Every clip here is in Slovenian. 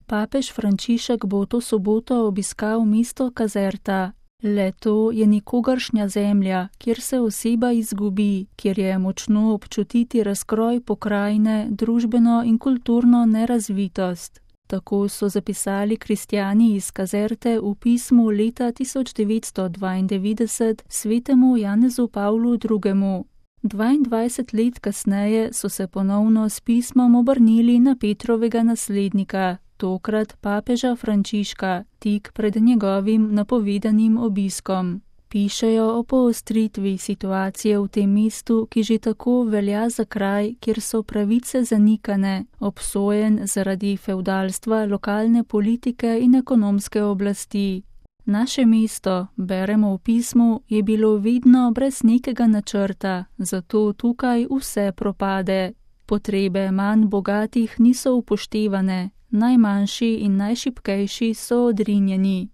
Papež Frančišek bo to soboto obiskal mesto Caserta. Le to je nikogaršnja zemlja, kjer se oseba izgubi, kjer je močno občutiti razkroj pokrajine, družbeno in kulturno nerazvitost. Tako so zapisali kristjani iz Caserte v pismu leta 1992 svetemu Janezu Pavlu II. 22 let kasneje so se ponovno s pismom obrnili na Petrovega naslednika, tokrat papeža Frančiška, tik pred njegovim napovedanim obiskom. Pišejo o poostritvi situacije v tem mestu, ki že tako velja za kraj, kjer so pravice zanikane, obsojen zaradi fevdalstva lokalne politike in ekonomske oblasti. Naše mesto, beremo v pismu, je bilo vedno brez nekega načrta, zato tukaj vse propade. Potrebe manj bogatih niso upoštevane, najmanjši in najšibkejši so odrinjeni.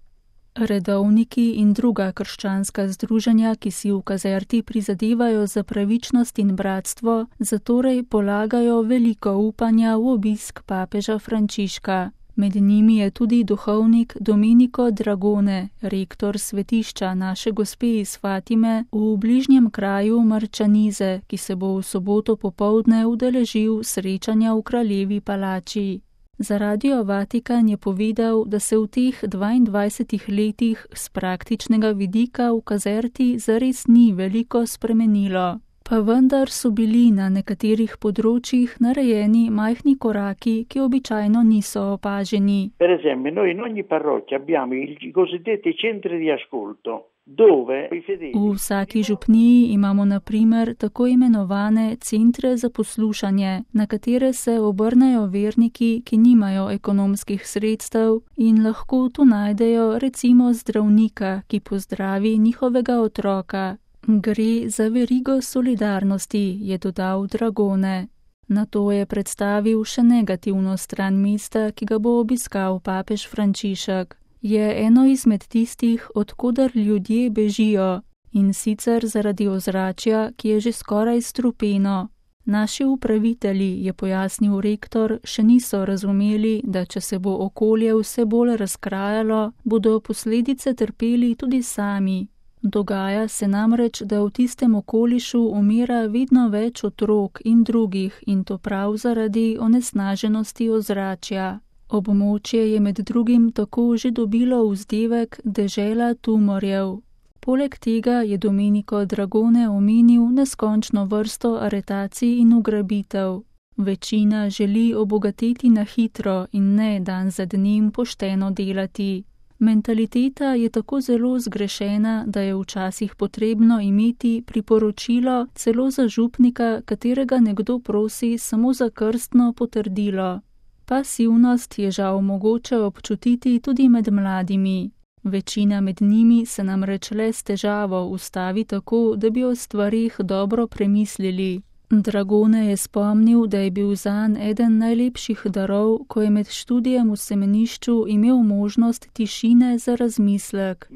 Redovniki in druga krščanska združenja, ki si v Caserti prizadevajo za pravičnost in bratstvo, zatorej polagajo veliko upanja v obisk papeža Frančiška. Med njimi je tudi duhovnik Domenico Dragone, rektor svetišča Naše Gospe iz Fatime v bližnjem kraju Marčanize, ki se bo v soboto popoldne udeležil srečanja v kraljevi palači. Za Radio Vatikan je povedal, da se v teh 22 letih z praktičnega vidika v Caserti zares ni veliko spremenilo. Pa vendar so bili na nekaterih področjih narejeni majhni koraki, ki običajno niso opaženi. Per esempio, noi in ogni parrocchia abbiamo i cosiddetti centri di ascolto. V vsaki župniji imamo na primer tako imenovane centre za poslušanje, na katere se obrnejo verniki, ki nimajo ekonomskih sredstev in lahko tu najdejo recimo zdravnika, ki pozdravi njihovega otroka. Gre za verigo solidarnosti, je dodal Dragone. Nato je predstavil še negativno stran mesta, ki ga bo obiskal papež Frančišek. Je eno izmed tistih, odkudar ljudje bežijo, in sicer zaradi ozračja, ki je že skoraj strupeno. Naši upravitelji, je pojasnil rektor, še niso razumeli, da če se bo okolje vse bolj razkrajalo, bodo posledice trpeli tudi sami. Dogaja se namreč, da v tistem okolišu umira vedno več otrok in drugih, in to prav zaradi onesnaženosti ozračja. Območje je med drugim tako že dobilo vzdevek dežela tumorjev. Poleg tega je Domenico Dragone omenil neskončno vrsto aretacij in ugrabitev. Večina želi obogateti na hitro in ne dan za dnem pošteno delati. Mentaliteta je tako zelo zgrešena, da je včasih potrebno imeti priporočilo celo za župnika, katerega nekdo prosi samo za krstno potrdilo. Pasivnost je žal mogoče občutiti tudi med mladimi. Večina med njimi se namreč le s težavo ustavi tako, da bi o stvarih dobro premislili. Dragone je spomnil, da je bil zanj eden najlepših darov, ko je med študijem v semenišču imel možnost tišine za razmislek.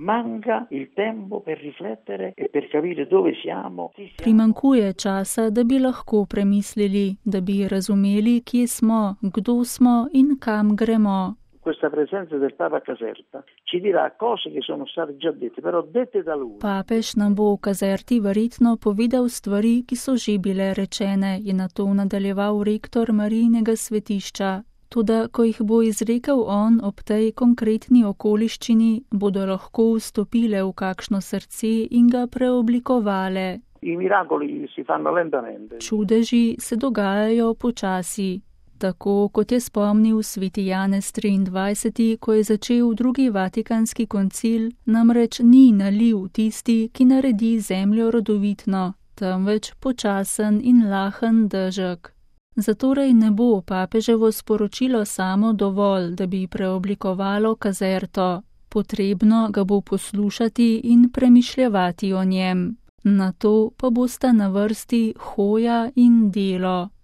Primanjkuje časa, da bi lahko premislili, da bi razumeli, kje smo, kdo smo in kam gremo. Questa presenza del Papa a Caserta ci dirà cose che sono state già dette, però dette da lui. Papež nam bo v Caserti verjetno povedal stvari, ki so že bile rečene, je nato nadaljeval rektor Marijinega svetišča. Toda, ko jih bo izrekel on ob tej konkretni okoliščini, bodo lahko vstopile v kakšno srce in ga preoblikovale. I miracoli si fanno lentamente. Čudeži se dogajajo počasi. Tako kot je spomnil sveti Janez 23., ko je začel drugi vatikanski koncil, namreč ni naliv tisti, ki naredi zemljo rodovitno, temveč počasen in lahen dežek. Zatorej ne bo papeževo sporočilo samo dovolj, da bi preoblikovalo Caserto. Potrebno ga bo poslušati in premišljevati o njem. Nato pa bosta na vrsti hoja in delo.